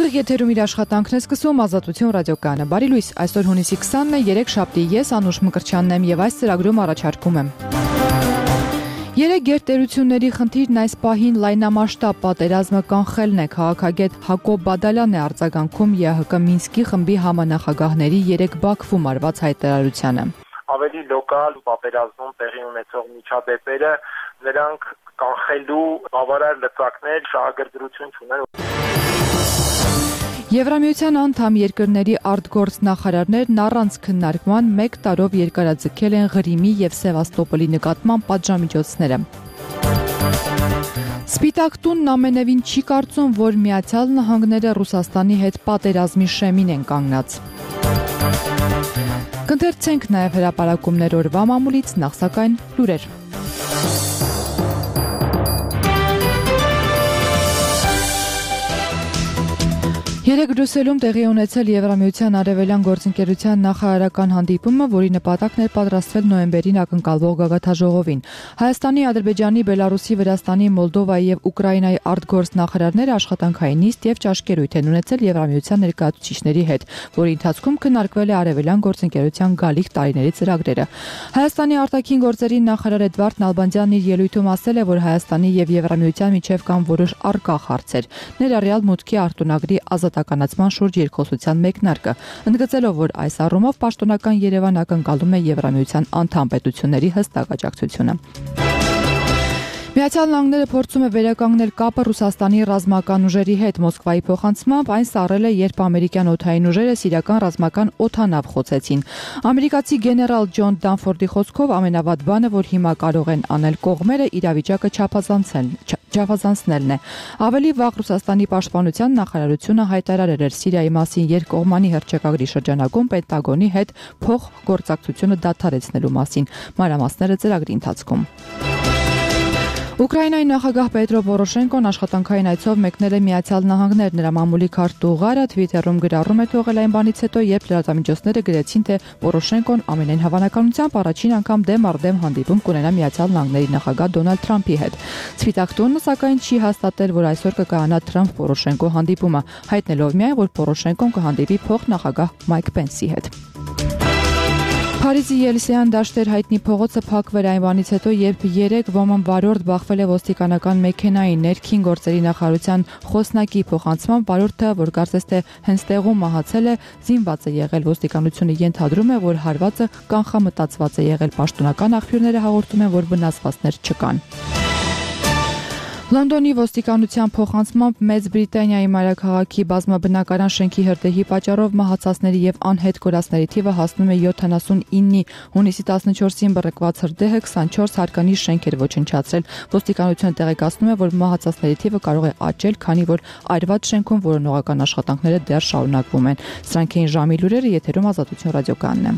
Ուղիղ եթերում իր աշխատանքն է սկսում Ազատություն ռադիոկայանը։ Բարի լույս, այսօր հունիսի 20-ն է, 3 շաբթի, ես Անուշ Մկրտչյանն եմ եւ այս ծրագրում առաջարկում եմ։ Երեք գերտերությունների խնդիրն այս պահին լայնամասշտաբ պատերազմը կանխելն է, քաղաքագետ Հակոբ Բադալյանն է արձագանքում ԵԱՀԿ Մինսկի խմբի համանախագահների 3 Բաքվում արված հայտարարությանը։ Ավելի լոկալ պատերազմում տեղի ունեցող միջադեպերը նրանք կանխելու բավարար լծակներ, շահագրգռություն չունեն։ Եվրամիության անդամ երկրների արտգործ նախարարներն առանց քննարկման 1 տարով երկարաձգել են Ղրիմի եւ Սևաստոպոլի նկատմամբ պատժամիջոցները։ Սպիտակ տունն ամենևին չի կարծում, որ Միացյալ Նահանգները Ռուսաստանի հետ պատերազմի շեմին են կանգնած։ Կընթերցենք նաև հրապարակումներ օրվա մամուլից, նախ սակայն լուրեր։ Երեկ Բրյուսելում տեղի ունեցել Եվրամիության արևելյան գործընկերության նախարարական հանդիպումը, որի նպատակն էր պատրաստվել նոյեմբերին ակնկալվող գագաթաժողովին։ Հայաստանի, Ադրբեջանի, Բելարուսի, Վրաստանի, Մոլդովայի եւ Ուկրաինայի արտգործ նախարարները աշխատանքային նիստ եւ ճաշկերույթ են ունեցել Եվրամիության ներկայացուցիչների հետ, որի ընթացքում քննարկվել է արևելյան գործընկերության գալիք տարիների ծրագրերը։ Հայաստանի արտաքին գործերի նախարար Էդվարդ Նալբանդյանն իր ելույթում ասել է, որ Հայաստանի եւ Եվրամիության միջև կան որոշ առկա հարցեր, ներառյալ մուտքի արտոնագրի ազատականացման շուրջ երկխոսության մեկնարկը, ընդգծելով, որ այս առումով պաշտոնական Երևան ակնկալում է Եվրամիության անդամ պետությունների հստակ աջակցությունը։ Միացյալ Նահանգները փորձում է վերականգնել կապը Ռուսաստանի ռազմական ուժերի հետ։ Մոսկվայի փոխանցմամբ այն սառել է, երբ ամերիկյան օդային ուժերը սիրիական ռազմական օդանավ խոցեցին։ Ամերիկացի գեներալ Ջոն Դանֆորդի խոսքով ամենավատ բանը, որ հիմա կարող են անել կողմերը, իրավիճակը չափազանցնելն է։ Ավելի վաղ Ռուսաստանի պաշտպանության նախարարությունը հայտարարել էր Սիրիայի մասին երկկողմանի հռչակագրի շրջանակում Պենտագոնի հետ փոխգործակցությունը դադարեցնելու մասին։ Մանրամասները ծրագրի ընթացքում։ Ուկրաինայի նախագահ Պետրո Պորոշենկոն աշխատանքային այցով մեկնել է Միացյալ Նահանգներ։ Նրա մամուլի քարտուղարը Թվիտերում գրառում է թողել այն բանից հետո, երբ լրատվամիջոցները գրեցին, թե Պորոշենկոն ամենայն հավանականությամբ առաջին անգամ դեմ առ դեմ հանդիպում կունենա Միացյալ Նահանգների նախագահ Դոնալդ Թրամփի հետ։ Սպիտակ տունը սակայն չի հաստատել, որ այսօր կկայանա Թրամփ-Պորոշենկո հանդիպումը, հայտնելով միայն, որ Պորոշենկոն կհանդիպի փոխնախագահ Մայք Պենսի հետ։ Փարիզի Ելսեյան դաշտեր հայտնի փողոցը փակվել այն բանից հետո, երբ 3 ոման վարորդ բախվել է ոստիկանական մեքենայի ներքին գործերի նախարարության խոսնակի փոխանցման վարորդը, որ կարծես թե հենց տեղում մահացել է, զինված է եղել։ Ոստիկանությունը ենթադրում է, որ հարվածը կանխամտածված է եղել։ Պաշտոնական աղբյուրները հաղորդում են, որ վնասվածքներ չկան։ Լոնդոնի ոստիկանության փոխանցմամբ Մեծ Բրիտանիայի մայրաքաղաքի բազմաբնակարան շենքի հրդեհի պատճառով մահացածների եւ անհետ կորածների թիվը հասնում է 79-ի։ Հունիսի 14-ին բռնկված հրդեհը 24 հատկանիշ շենք էր ոչնչացրել։ Ոստիկանությունը տեղեկացնում է, որ մահացածների թիվը կարող է աճել, քանի որ այրված շենքում որոնողական աշխատանքները դեռ շարունակվում են։ Սրանք էին ժամի լուրերը, եթերում Ազատություն ռադիոկայանն է։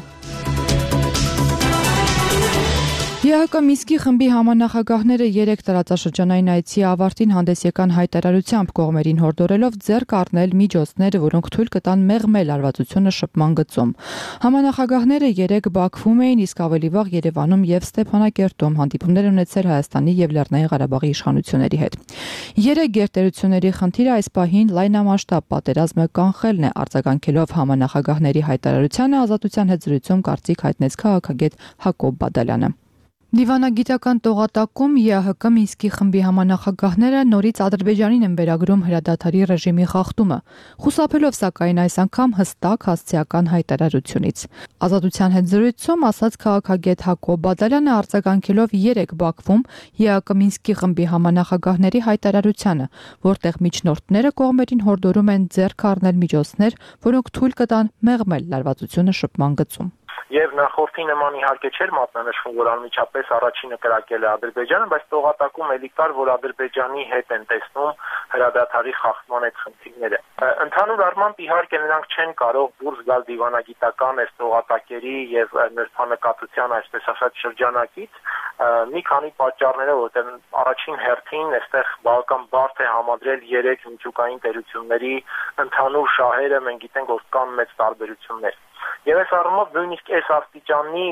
ԵԱՀԿ Մինսկի խմբի համանախագահները 3 տարածաշրջանային այցի ավարտին հանդես եկան հայտարարությամբ, կողմերին հորդորելով ձեռք առնել միջոցներ, որոնք թույլ կտան մեղմել լարվածությունը շփման գծում։ Համանախագահները 3 Բաքվում էին, իսկ ավելի վաղ Երևանում եւ Ստեփանակերտում հանդիպումներ ունեցել Հայաստանի եւ Լեռնային Ղարաբաղի իշխանությունների հետ։ 3 գերտերությունների խնդիրը այս պահին լայնամասշտաբ պատերազմը կանխելն է, արձագանքելով համանախագահների հայտարարությանը Ազատության հետ զրույցում կարծիք հայտնեց քաղաքագետ Հակոբ Բադալյանը։ Դիվանագիտական տողատակում ԵԱՀԿ Մինսկի խմբի համանախագահները նորից Ադրբեջանին են վերագրում հրադադարի ռեժիմի խախտումը, խուսափելով սակայն այս անգամ հստակ հասցեական հայտարարությունից։ Ազատության հետ զրույցում ասաց քաղաքագետ Հակոբ Բադալյանը, արձագանքելով 3 Բաքվում ԵԱՀԿ Մինսկի խմբի համանախագահների հայտարարությանը, որտեղ միջնորդները կողմերին հորդորում են ձեռք առնել միջոցներ, որոնք թույլ կտան մեղմել լարվածությունը շփման գծում։ Եվ նախորդի նման իհարկե չէր մատնանշվում, որ անմիջապես առաջինը կրակել է Ադրբեջանը, բայց տողատակում էլի կար, որ Ադրբեջանի հետ են տեսնում հրադադարի խախտման այդ խնդիրները։ Ընդհանուր առմամբ իհարկե նրանք չեն կարող դուրս գալ դիվանագիտական այս տողատակերի եւ նրբանկատության, այսպես ասած, շրջանակից մի քանի պատճառներով, որտեղ առաջին հերթին այստեղ բավական բարդ է համադրել 3 միջուկային տերությունների ընդհանուր շահերը, մենք գիտենք, որ կան մեծ տարբերություններ։ Եվ այս առումով նույնիսկ այս աստիճանի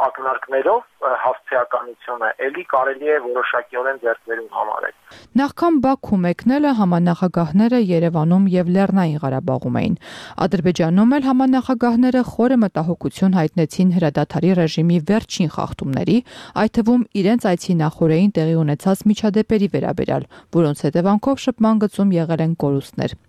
ակնարկներով հասցեականությունը ելի կարելի է որոշակիորեն ձեռք բերում համարել։ Նախքան Բաքու մեկնելը համանախագահները Երևանում եւ Լեռնային Ղարաբաղում էին։ Ադրբեջանում էլ համանախագահները խորը մտահոգություն հայտնեցին հրադադարի ռեժիմի վերջին խախտումների, այդ թվում իրենց այցի նախօրեին տեղի ունեցած միջադեպերի վերաբերյալ, որոնց հետևանքով շփման գծում եղել են կորուստներ։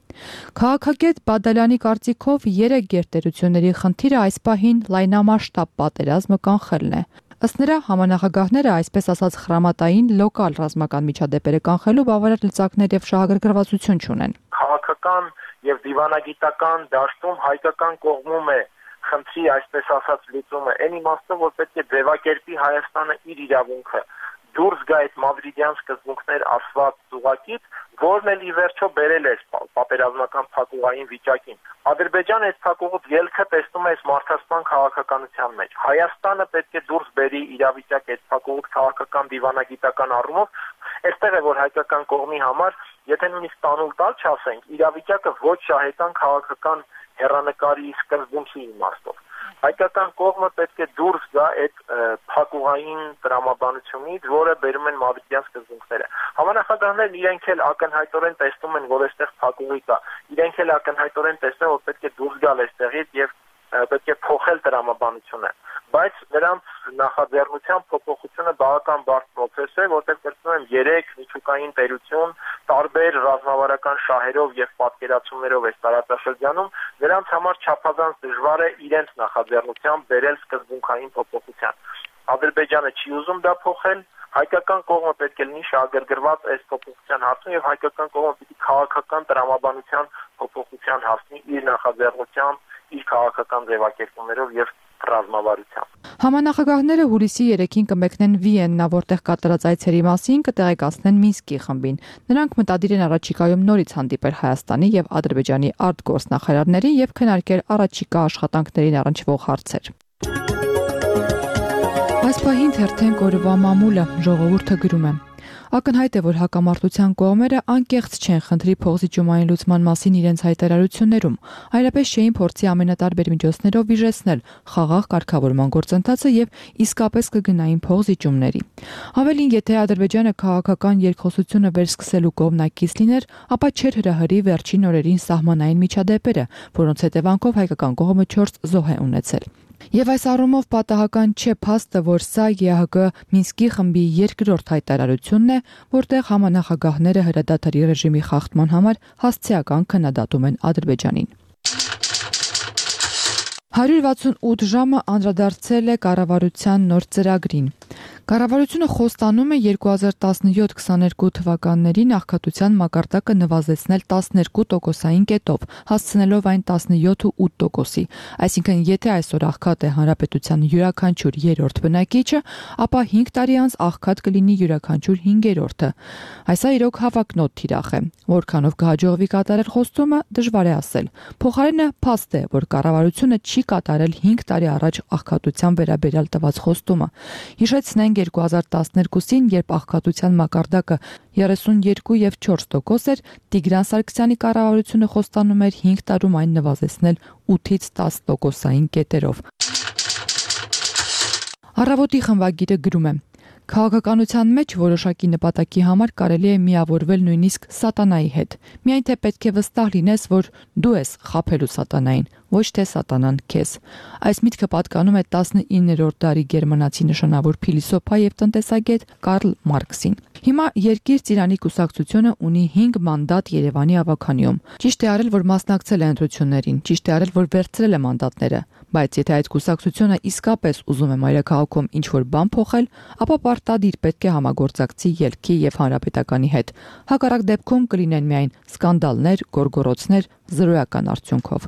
Քաղաքագետ Բադալյանի կարծիքով 3 գերտերությունների խնդիրը այս պահին լայնամասշտաբ պատերազմը կանխելն է։ Ըստ նրա, համանախագահները, այսպես ասած, խրամատային լոկալ ռազմական միջադեպերը կանխելու բավարար լծակներ եւ շահագրգռվածություն չունեն։ Քաղաքական եւ դիվանագիտական դաշտում հայկական կողմում է խնդրի, այսպես ասած, լուծումը այն իմաստով, որ պետք է ձևակերպի Հայաստանը իր իրավունքը, դուրս գա այդ մադրիդյան սկզբունքներ ասված ծուղակից, որն էլ ի վերջո բերել է պատերազմական փակուղային վիճակին։ Ադրբեջանը այս փակուղուց ելքը տեսնում է այս մարդասպան քաղաքականության մեջ։ Հայաստանը պետք է դուրս բերի իրավիճակ այդ փակուղուց քաղաքական դիվանագիտական առումով, այստեղ է որ հայկական կողմի համար, եթե նույնիսկ տանուլ տալ չասենք, իրավիճակը ոչ շահեկան քաղաքական հեռանկարի սկզբունքի իմաստով։ Հայկական կողմը պետք է դուրս գա այդ փակուղային տրամաբանությունից, որը բերում են մադրիդյան սկզբունքները։ Համանախագահներն իրենք էլ ակնհայտորեն տեսնում են, որ այստեղ փակուղի կա։ Իրենք էլ ակնհայտորեն տեսնում են, որ պետք է դուրս գալ այստեղից եւ պետք է փոխել տրամաբանությունը։ Բայց նրանց նախաձեռնության փոփոխությունը բավական բարդ process է, որտեղ կրկնում եմ 3 միջուկային տերություն տարբեր ռազմավարական շահերով եւ պատկերացումներով այս տարածաշրջանում, նրանց համար չափազանց դժվար է իրենց նախաձեռնությամբ բերել սկզբունքային փոփոխության։ Ադրբեջանը չի ուզում դա փոխել, հայկական կողմը պետք է լինի շահագրգռված այս փոփոխության հարցում եւ հայկական կողմը պիտի քաղաքական տրամաբանության փոփոխության հասնի իր նախաձեռնությամբ, իր քաղաքական ձևակերպումներով եւ ռազմավարությամբ։ Համանախագահները հուլիսի 3-ին կմեկնեն Վիեննա, որտեղ կատարած այցերի մասին կտեղեկացնեն Մինսկի խմբին։ Նրանք մտադիր են առաջիկայում նորից հանդիպել Հայաստանի եւ Ադրբեջանի արտգործնախարարներին եւ քննարկել առաջիկա աշխատանքներին առնչվող հարցեր։ Այս պահին թերթենք օրվա մամուլը, ժողովուրդը գրում է. Ակնհայտ է, որ հակամարտության կողմերը անկեղծ չեն խնդրի փոխզիջումային լուծման մասին իրենց հայտարարություններում, այլապես չէին փորձի ամենատարբեր միջոցներով վիժեցնել խաղաղ կարգավորման գործընթացը եւ իսկապես կգնային փոխզիջումների։ Ավելին, եթե Ադրբեջանը քաղաքական երկխոսությունը վերսկսելու կողմնակից լիներ, ապա չէր հրահրի վերջին օրերին սահմանային միջադեպերը, որոնց հետևանքով հայկական կողմը 4 զոհ է ունեցել։ Եվ այս առումով պատահական չէ փաստը, որ սա ԵԱՀԿ Մինսկի խմբի երկրորդ հայտարարությունն է, որտեղ համանախագահները հրադադարի ռեժիմի խախտման համար հասցեական քննադատում են Ադրբեջանին։ 168 ժամը անդրադարձել է կառավարության նոր ծրագրին։ Կառավարությունը խոստանում է 2017-22 թվականներին աղքատության մակարդակը նվազեցնել 12%-ային կետով, հասցնելով այն 17.8%-ի։ Այսինքն, եթե այսօր աղքատ է հանրապետության յուրաքանչյուր երրորդ բնակիչը, ապա 5 տարի անց աղքատ կլինի յուրաքանչյուր 5-րդը։ Այս իրոք հավակնոտ թիրախ է։ Որքանով կհաջողվի կատարել խոստումը, դժվար է ասել։ Փոխարենը փաստ է, որ կառավարությունը չի կատարել 5 տարի առաջ աղքատության վերաբերյալ տված խոստումը։ Հիշեցնենք 2012-ին, երբ աղքատության մակարդակը 32 եւ 4% էր, Տիգրան Սարգսյանի կառավարությունը խոստանում էր 5 տարում այն նվազեցնել 8-ից 10%-ային կետերով։ Առավոտի խմբագիրը գրում է. Քաղաքականության մեջ որոշակի նպատակի համար կարելի է միավորվել նույնիսկ սատանայի հետ։ Միայն թե պետք է վստահ լինես, որ դու ես խաբելու սատանային, ոչ թե սատանան քեզ։ Այս միտքը պատկանում է 19-րդ դարի գերմանացի նշանավոր փիլիսոփա եւ տնտեսագետ Կարլ Մարքսին։ Հիմա Երկիր Ծիրանի կուսակցությունը ունի 5 մանդատ Երևանի ավականիում։ Ճիշտ է արել, որ մասնակցել է ընտրություններին, ճիշտ է արել, որ վերցրել է մանդատները, բայց եթե այդ կուսակցությունը իսկապես ուզում է մայրաքաղաքում ինչ-որ բան փոխել, ապա պարտադիր պետք է համագործակցի ելքի եւ հանրապետականի հետ։ Հակառակ դեպքում կլինեն միայն սկանդալներ, գորգորոցներ, զրոյական արդյունքով։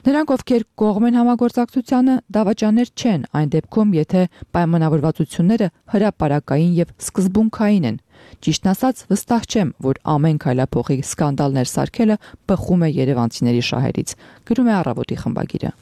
Նրանք, ովքեր կողմ են համագործակցությանը, դավաճաններ չեն այն դեպքում, եթե պայմանավորվածությունները հրապարակային եւ սկզբունքային են։ Ճիշտն ասած, վստահ չեմ, որ ամեն քայլափոխի սկանդալներ սարքելը բխում է երևանցիների շահերից, գրում է Առավոտի խմբագիրը։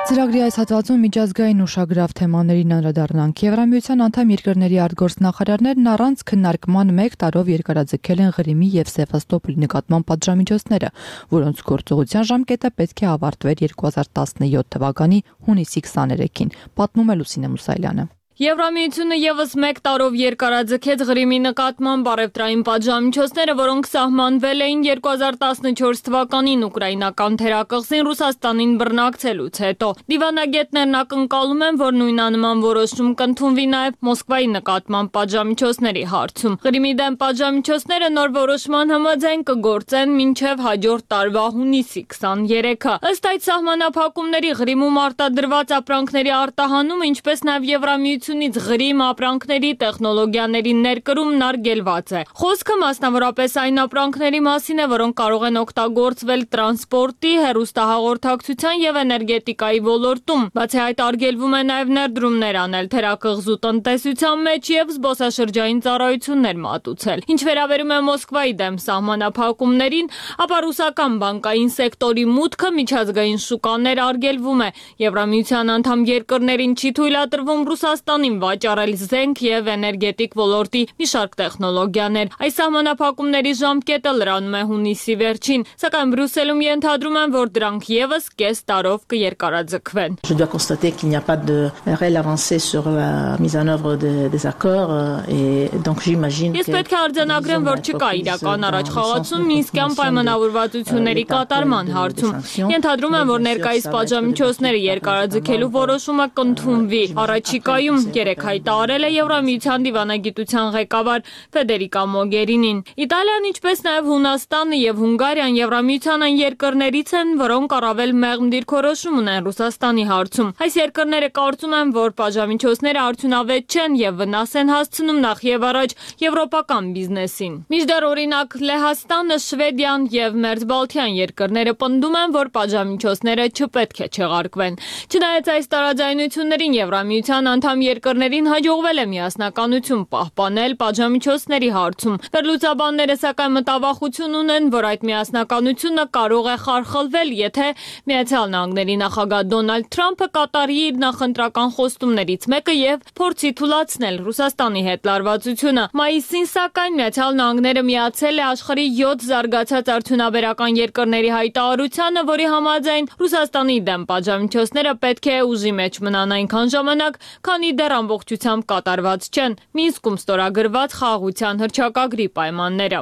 Ծրագրի այս հատվածում միջազգային ուշագրավ թեմաներին անդրադառնանք։ Եվրամիության անդամ երկրների արտգործնախարարներն առանց քննարկման 1 տարով երկարաձգել են Ղրիմի եւ Սևաստոպոլի նկատմամբ պատժամիջոցները, որոնց գործողության ժամկետը պետք է ավարտվեր 2017 թվականի հունիսի 23-ին, պատմում է Լուսինե Մուսայելյանը։ Եվրամիությունը եւս 1 տարով երկարաձգեց Ղրիմի նկատմամբ առևտրային պատժամիջոցները, որոնք սահմանվել էին 2014 թվականին ուկրաինական թերակղզին Ռուսաստանին բռնակցելուց հետո։ Դիվանագետներն ակնկալում են, որ նույնանման որոշում կընդունվի նաեւ Մոսկվայի նկատմամբ պատժամիջոցների հարցում։ Ղրիմի դեմ պատժամիջոցները նոր որոշման համաձայն կգործեն մինչեւ հաջորդ տարվա հունիսի 23-ը։ Ըստ այդ սահմանափակումների Ղրիմում արտադրված ապրանքների արտահանումը, ինչպես նաեւ Եվրամիության Ղրիմ ապրանքների տեխնոլոգիաների ներկրումն արգելված է։ Խոսքը մասնավորապես այն ապրանքների մասին է, որոնք կարող են օգտագործվել տրանսպորտի, հեռուստահաղորդակցության եւ էներգետիկայի ոլորտում։ Բացի այդ, արգելվում է նաեւ ներդրումներ անել թերակղզու տնտեսության մեջ եւ զբոսաշրջային ծառայություններ մատուցել։ Ինչ վերաբերում է Մոսկվայի դեմ սահմանափակումներին, ապա ռուսական բանկային սեկտորի մուտքը միջազգային շուկաներ արգելվում է։ Եվրամիության անդամ երկրներին չի թույլատրվում Ռուսաստանին վաճառել զենք եւ էներգետիկ ոլորտի մի շարք տեխնոլոգիաներ։ Այս սահմանափակումների ժամկետը լրանում է հունիսի վերջին, սակայն Բրյուսելում ենթադրում են, որ դրանք եւս կես տարով կերկարաձգվեն։ Je dois constater qu'il n'y a pas de réelle avancée sur la mise en œuvre des accords et donc j'imagine Ես պետք է արձանագրեմ, որ չկա իրական առաջխաղացում Մինսկյան պայմանավորվածությունների կատարման հարցում։ Ենթադրում եմ, որ ներկայիս պատժամիջոցները երկարաձգելու որոշումը կընդունվի։ Առաջիկայում 3 հայտարարել է Եվրամիության դիվանագիտության ղեկավար Ֆեդերիկա Մոգերինին։ Իտալիան, ինչպես նաև Հունաստանը եւ Հունգարիան Եվրամիության այն երկրներից են, որոնք առավել մեղմ դիրքորոշում ունեն Ռուսաստանի հարցում։ Այս երկրները կարծում են, որ պատժամիջոցները արդյունավետ չեն եւ վնաս են հասցնում նախ եւ առաջ եվրոպական բիզնեսին։ Մինչդեռ օրինակ Լեհաստանը, Շվեդիան եւ Մերձբալթյան երկրները պնդում են, որ պատժամիջոցները չպետք է չեղարկվեն։ Չնայած այս տարաձայնություններին Եվրամիության անդամ երկրներին հաջողվել է միասնականություն պահպանել պատժամիջոցների հարցում։ Վերլուծաբանները սակայն մտավախություն ունեն, որ այդ միասնականությունը կարող է խարխլվել, եթե Միացյալ Նահանգների նախագահ Դոնալդ Թրամփը կատարի իր նախընտրական խոստումներից մեկը եւ փորձի թուլացնել Ռուսաստանի հետ լարվածությունը։ Մայիսին սակայն Միացյալ Նահանգները միացել է աշխարհի 7 զարգացած արդյունաբերական երկրների հայտարարությանը, որի համաձայն Ռուսաստանի դեմ պատժամիջոցները պետք է ուժի մեջ մնան այնքան ժամանակ, քանի դեռ ամբողջությամբ կատարված չեն Մինսկում ստորագրված խաղաղության հռչակագրի պայմանները։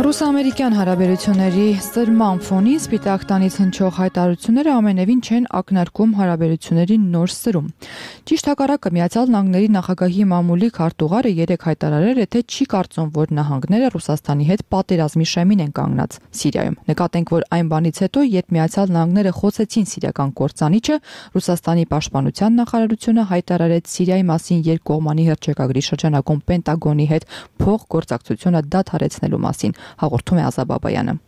Ռուս-ամերիկյան հարաբերությունների սրման ֆոնին Սպիտակ տանից հնչող հայտարարությունները ամենևին չեն ակնարկում հարաբերությունների նոր սրում։ Ճիշտ հակառակը, Միացյալ Նահանգների նախագահի մամուլի քարտուղարը 3 հայտարարել է, թե չի կարծում, որ նահանգները Ռուսաստանի հետ պատերազմի շեմին են կանգնած Սիրիայում։ Նկատենք, որ այն բանից հետո, երբ Միացյալ Նահանգները խոցեցին սիրիական կործանիչը, Ռուսաստանի պաշտպանության նախարարությունը հայտարարեց Սիրիայի մասին երկկողմանի հռչակագրի շրջանակում Պենտագոնի հետ փոխգործակցությունը դադարեցնելու մասին, հաղորդում է Ազա Բաբայանը։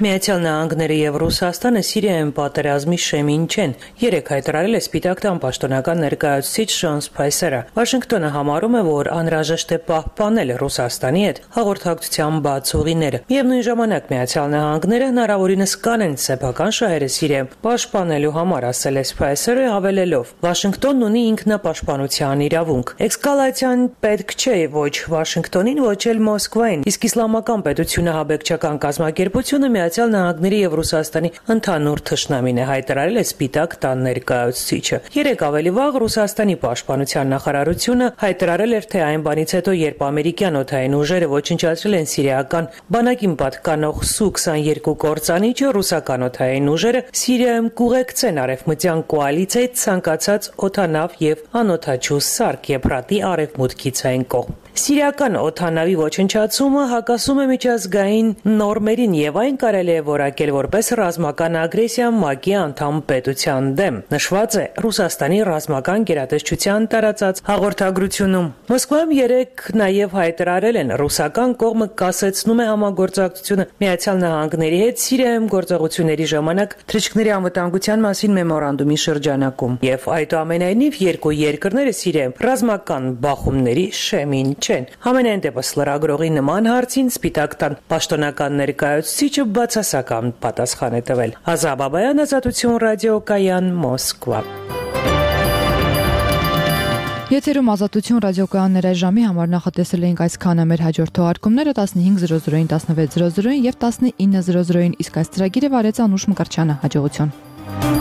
Միացյալ Նահանգները եւ Ռուսաստանը Սիրիայում պատերազմի շեմին չեն, 3 հայտարարել է Սպիտակ տան պաշտոնական ներկայացուցիչ Շոն Սփայսերը։ Վաշինգտոնը համարում է, որ անհրաժեշտ է պահպանել Ռուսաստանի հետ հաղորդակցության բաց ուղիները։ Միևնույն ժամանակ Միացյալ Նահանգները հնարավորինս կանեն սեփական շահերը Սիրիայում պաշտպանելու համար, ասել է Սփայսերը, հավելելով. Վաշինգտոնն ունի ինքնապաշտպանության իրավունք։ Էսկալացիան պետք չէ ոչ Վաշինգտոնին, ոչ էլ Մոսկվային, իսկ իսլամական պետությունը հաբեկչական կազմակերպությունը Միացյալ Նահանգների եւ Ռուսաստանի ընդհանուր թշնամին է, հայտարարել է Սպիտակ տան ներկայացուցիչը։ 3 ավելի վաղ Ռուսաստանի պաշտպանության նախարարությունը հայտարարել էր, թե այն բանից հետո, երբ ամերիկյան օդային ուժերը ոչնչացրել են սիրիական բանակին պատկանող Su-22 կործանիչը, ռուսական օդային ուժերը Սիրիայում կուղեկցեն արևմտյան կոալիցիայի ցանկացած օդանավ եւ անօդաչու սարք Եփրատի արևմուտքից այն կողմ։ Սիրիական օդանավի ոչնչացումը հակասում է միջազգային նորմերին եւ այն կարելի է որակել որպես ռազմական ագրեսիա ՄԱԿ-ի անդամ պետության դեմ, նշված է Ռուսաստանի ռազմական գերատեսչության տարածած հաղորդագրությունում։ Մոսկվայում 3 նաեւ հայտարարել են, ռուսական կողմը կասեցնում է համագործակցությունը Միացյալ Նահանգների հետ Սիրիայում գործողությունների ժամանակ թռիչքների անվտանգության մասին մեմորանդումի շրջանակում եւ այդուամենայնիվ 2 երկրները Սիրիայում ռազմական բախումների շեմին չեն։ չեն։ Համենայն դեպս լրագրողի նման հարցին Սպիտակ տան պաշտոնական ներկայացուցիչը բացասական պատասխան է տվել։ Ազա Բաբայան, Ազատություն ռադիոկայան, Մոսկվա։ Եթերում Ազատություն ռադիոկայաններ ժամի համար նախատեսել էինք այսքանը, մեր հաջորդ թողարկումները 15:00-ին, 16:00-ին եւ 19:00-ին, իսկ այս ծրագիրը վարեց Անուշ Մկրտչյանը։ Հաջողություն։